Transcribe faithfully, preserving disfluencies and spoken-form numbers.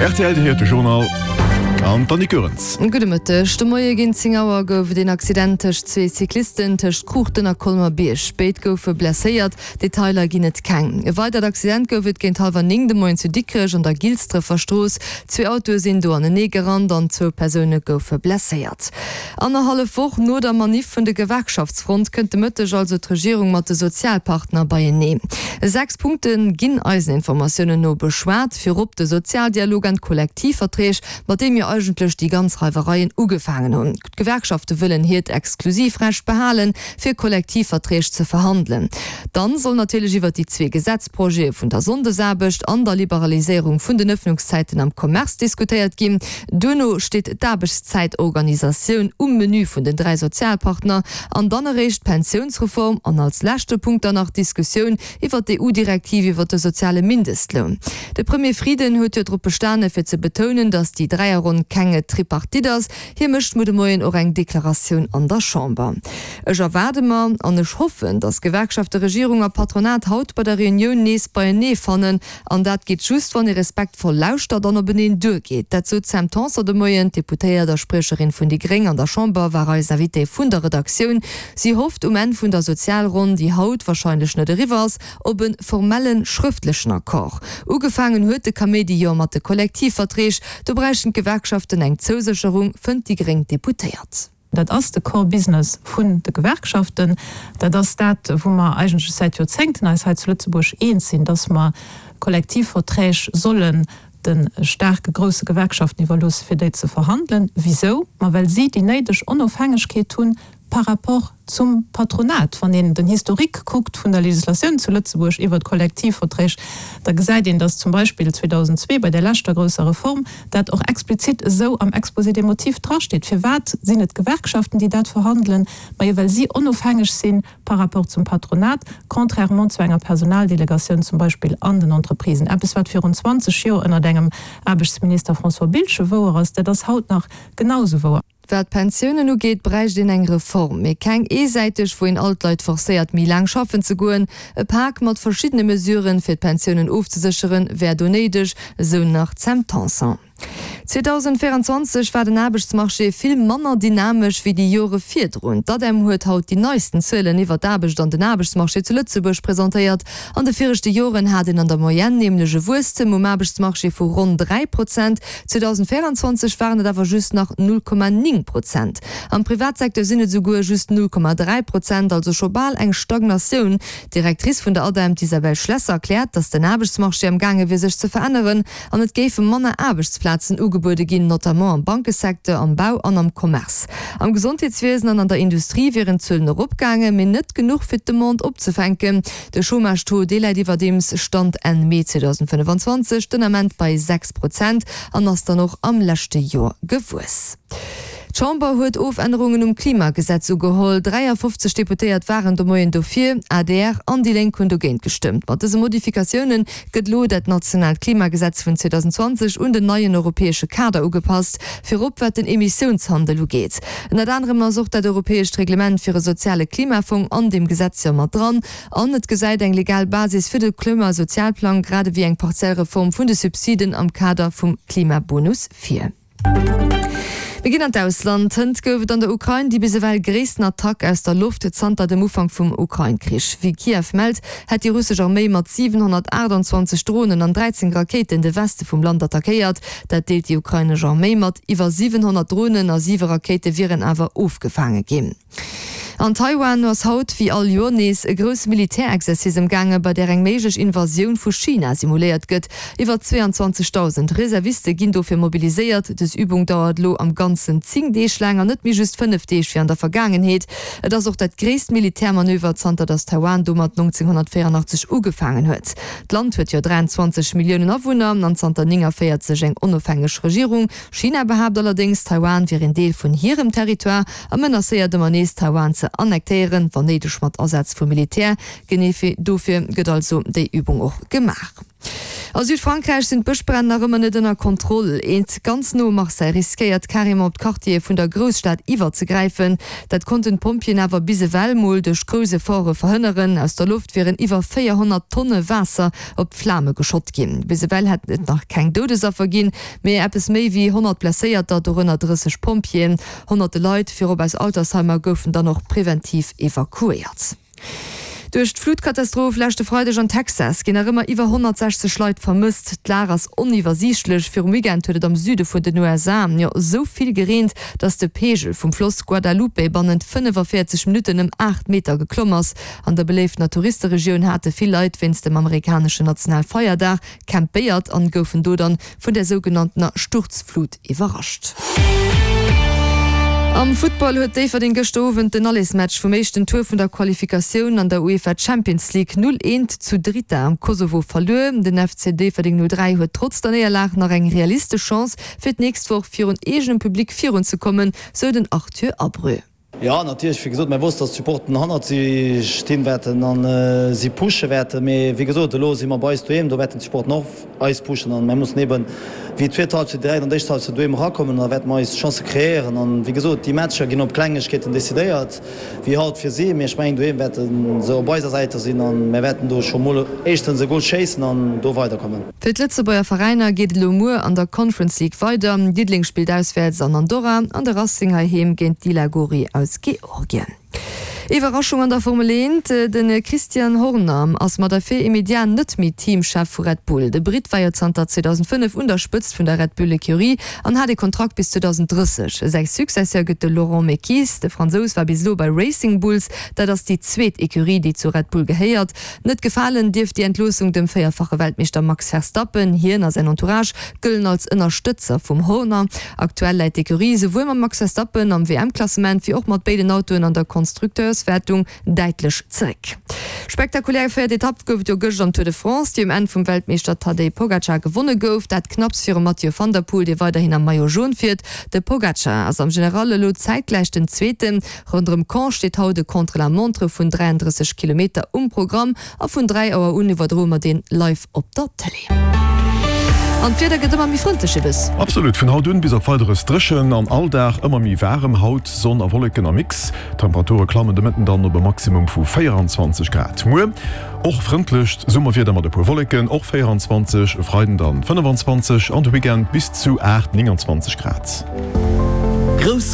Rtl, Dir héiert de Journal an d'Annick Goerens. Gudde Mëtteg. De Moie géint zéng Auer gouf et een Accident tëscht zwee Cyclisten tëscht Kruuchten a Colmer-Bierg. Béid goufe blesséiert, Detailer ginn et keng. E weidert Accident gouf et géint hallwer néng de Moien zu Dikrech an der Gilsdrëffer Strooss. Zwee Autoe sinn do anenee gerannt an zwou Persoune goufe blesséiert. Annerhallef Woch no der Maniff vun de Gewerkschaftsfront kënnt de Mëtteg also d'Regierung mat de Sozialpartner beienee. Sechs Punkte ginn eisen Informatiounen no beschwat, virop de Sozialdialog an d'Kollektivverträg, mat deem jo eigentlech déi ganz Reiwereien ugefaangen hunn. D'Gewerkschafte wëllen hiert Exklusivrecht behalen, fir Kollektivverträg ze verhandelen. Dann soll natierlech iwwert déi zwee Gesetzprojete vun der Sonndesaarbecht an der Liberaliséierung vun den Ëffnungszäiten am Commerce diskutéiert ginn. Duerno steet d'Aarbechtszäitorganisatioun um Menü vun den dräi Sozialpartner an dann eréischt d'Pensiounsreform an als leschte Punkt dann nach d'Diskussioun iwwert d'EU-Direktiv iwwert de soziale Mindestloun. De Premier Frieden huet jo drop bestane fir ze betounen, datt déi Dräierronn keng Tripartite ass. Hie mécht muer de Moien och eng Deklaratioun an der Chamber. Ech erwaarde mer an ech hoffen, datt Gewerkschafte, Regierung a Patronat haut bei der Reunioun nees beienee fannen. An dat geet just, wann ee respektvoll lauschtert an openeen duergeet. Dat sot d'Sam Tanson de Moien. D'Deputéiert a Spriecherin vun déi Gréng an der Chamber war eis Invitée vun der Redaktioun. Si hofft um Enn vun der Sozialronn, déi haut warscheinlech net eriwwer ass, op e formelle schrëftlechen Accord. Ugefaangen huet de Kaméidi jo mat de Kollektivverträg. Do bräichten d'Gewerkschaften eng Zousécherung, fënnt déi gréng Deputéiert. Dat ass de Core Business vun de Gewerkschaften. Dat ass dat, wou mer eigentlech säit Joerzéngten eis hei zu Lëtzebuerg eens sinn, dass mer Kollektivverträg sollen de staarke grousse Gewerkschaften iwwerloosse fir déi ze verhandelen. Wisou? Ma well si déi néideg Onofhängegkeet hunn par rapport zum Patronat. Wann een den Historique kuckt vun der Legislatioun zu Lëtzebuerg iwwert d'Kollektivverträg, da gesäit een, dass zum Beispill zweedausendzwee bei där leschter grousser Reform dat och explizit esou am Exposé des motifs drasteet. Firwat sinn et d'Gewerkschaften, déi dat verhandelen? Majo, well si onofhängeg si par rapport zum Patronat, contrairement zu enger Personaldelegatioun zum Beispill an den Entreprisen. Eppes, wat virun zwanzeg Joer ënnert engem Aarbechtsminister François Biltgen wouer ass, dat ass haut nach genau esou wouer. Wat d'Pensiounen ugeet, bräicht een eng Reform, mee keng eesäiteg, wou een all d'Leit forcéiert, méi laang schaffen ze goen. E Pak mat verschiddene Mesuren, fir d'Pensiounen ofzesécheren, wär do néideg, esou nach d'Sam Tanson. zweedausendvéieranzwanzeg war den Aarbechtsmarché vill manner dynamesch wéi déi Jore virdrun. D'ADEM huet haut déi neisten Zuelen iwwer d'Aarbecht an den Aarbechtsmarché zu Lëtzebuerg presentéiert. An de viregte Joren hat een an der Moyenne nämlech e Wuesstem um Aarbechtsmarché vu ronn dräi Prozent. zweedausendvéieranzwanzeg waren et awer just nach null Komma néng Prozent. Am Privatsecteur sinn et esouguer just null Komma dräi Prozent, also scho bal eng Stagnatioun. D'Directrice vun der ADEM, d'Isabelle Schlesser, erkläert, datt den Aarbechtsmarché am gaange wier sech ze veränneren an et géife manner Aarbechtsplazen ugebuede ginn, notamment am Bankesecteur, am Bau an am Commerce. Am Gesondheetswiesen an an der Industrie wieren d'Zuelen eropgaangen, mee net genuch fir d'Demande opzefänken. De Chômage-Taux, dee läit iwwerdeems, Stand Enn Mee zweedausendfënnefanzwanzeg, den Ament bei sechs Prozent an ass dann och am leschte Joer gewuess. D'Chamber huet Ofännerungen um Klimagesetz ugeholl. dräiafofzeg Deputéiert waren de Moien dofir, adr an déi Lénk hunn dogéint gestëmmt. Mat dëse Modifikatioune gëtt elo dat nationaalt Klimagesetz vun zweedausendzwanzeg un den neien europäesche Kader ugepasst, virop wat den Emissiounshandel ugeet. Ënnert anerem ass och dat europäescht Reglement fir e soziale Klimafong an deem Gesetz jo mat dran. An et gesäit eng legal Basis fir de Klimasozialplang grad ewéi eng partiell Reform vun de Subsiden am Kader vum Klimabonus vir. Mir ginn an d'Ausland. Hënt gouf et an der Ukrain déi bis ewell gréissten Attack aus der Loft zanter dem Ufank vum Ukrain-Krich. Wéi Kiew mellt, hätt déi russesch Arméi mat siwenhonnertaachtanzwanzeg Dronen an dräizéng Rakéiten de Weste vum Land attackéiert. Dat deelt déi ukrainesch Arméi mat. Iwwer siwenhonnert Dronen a siwe Rakéite wieren awer ofgefaange ginn. An Taiwan ass haut wéi all Joer nees e grousse Militärexercice ëmgaangen, bei där eng méiglech Invasioun vu China simuléiert gëtt. Iwwer zweeanzwanzegdausend Reserviste ginn dofir mobiliséiert. Dës Übung dauert elo am Ganzen zéng Deeg laang an net méi just fënnef Deeg wéi an der Vergaangenheet. Et ass och dat gréisst Militärmanöver zanter datt Taiwan domat nonzénghonnertvéierandachtzeg ugefaangen huet. D'Land huet jo dräianzwanzeg Milliounen Awunner an zanter néngavéierzeg eng onofhängeg Regierung. China behaapt allerdéngs, Taiwan wier een Deel vun hirem Territoire a menacéiert ëmmer nees, Taiwan ze annektéieren, wann néideg mat Asaz vu Militär. Genee dofir gëtt also déi Übung och gemaach. A Südfrankräich sinn d'Bëschbränn nach ëmmer net ënner Kontroll. Eent ganz no Marseille riskéiert carrément op d'Quartiere vun der Grousstad iwwerzegräifen. Dat konnten d'Pompjeeën awer bis ewell mol duerch grouss Efforte verhënneren. Aus der Loft wieren iwwer véierhonnert Tonne Waasser op d'Flame geschott ginn. Bis ewell hätt et nach keng Doudesaffer ginn, mee eppes méi wéi honnert Blesséierter, dorënner drësseg Pompjeeën. Honnerte Leit, virop aus Altersheimer, goufen dann och preventiv evakuéiert. Duerch d'Flutkatastroph leschte Freideg an Texas ginn nach ëmmer iwwer honnertsechzeg Leit vermësst. D'Lag ass oniwwersiichtlech. Virum Weekend huet et am Süde vun den U S A jo esou vill gereent, datt de Peegel vum Floss Guadalupe bannent fënnefaféierzeg Minutten ëm aacht Meter geklomm ass. An der beléiftener Touristeregioun hate vill Leit wéinst dem amerikaneschen Nationalfeierdag campéiert an goufen do dann vun der sougenanntener Sturzflut iwwerrascht. Am Futtball huet Déifferdeng gëschter Owend den Allesmatch vum éischten Tour vun der Qualifikatioun an der UEFA Champions League null eent zu Drita am Kosovo verluer. Den F C Déifferdeng null dräi huet trotz der Néierlag nach eng realistesch Chance, fir d'nächst Woch virun eegenem Public virunzekommen, sou den Arthur Abreu. Jo, natierlech, wéi gesot, mir wossten, dass d'Supporten hannert si stinn wäerten an si pushe wäerten. Mee wéi gesot, elo si mer bei eis doheem, do wäerten d'Supporten och eis pushen an mir mussen eben wéi d'zweet Halbzeit direkt an d'éischt Halbzeit doheem erakommen an da wäerte mer eis Chancë kreéieren. An wéi gesot, déi Matcher ginn op Klengegkeeten decidéiert, wéi haut fir si. Mee ech mengen, doheem wäerte se op eiser Säit sinn an mir wäerten do scho mol éischtens e Gol schéissen an do weiderkommen. Fir d'Lëtzebuerger Veräiner geet et elo muer an der Conference League weider. Diddeleng spillt auswäerts an Andorra an de Racing heiheem géint Dila Gori aus Georgien. Iwwerraschung an der Formel eent, De Christian Horner ass mat Effet immédiat net méi Teamchef vu Red Bull. De Britt war jo zanter zweedausendfënnef un der Spëtzt vun der Red Bull Ecurie an hat e Kontrakt bis zweedausendrësseg. Säi Successeur gëtt de Laurent Mekies. De Fransous war bis elo bei Racing Bulls, dat ass déi zweet Ecurie, déi zu Red Bull gehéiert. Net gefalen dierft déi Entloossung dem véierfache Weltmeeschter Max Verstappen. Hien a säin Entourage gëllen als Ënnerstëtzer vum Horner. Aktuell läit d'Ecurie souwuel mam Max Verstappen am W M-Klassement wéi och mat béiden Autoen an der Konstrukteurswäertung däitlech zeréck. Spektakulär véiert Etapp gouf et jo gëscht am Tour de France, déi um Enn vum Weltmeeschter Tadej Pogacar gewonne gouf. Dat knapps virum Mathieu van der Poel, dee weiderhin am Maillot Jaune fiert. De Pogacar ass am General elo zäitgläich den Zweeten. Ronderëm Caen steet haut e Contre-la-montre vun dräiandrësseg Kilometer um Programm a vun dräi Auer un iwwerdroe mer deen live op der Tëlee. An d'Wieder gëtt ëmmer méi frëndlech, Ibis. Absolut, vun haut un bis op Weideres dréchen an all Dag ëmmer méi waarem. Haut Sonn a Wolleken am Mix, d'Temperature klammen de Mëtten dann op e Maximum vu véieranzwanzeg Grad. Muer och frëndlecht Summerwieder mat e puer Wolleken, och véieranzwanzeg, e Freiden dann fënnefanzwanzeg an de Weekend bis zu aacht, nénganzwanzeg Grad. Grouss.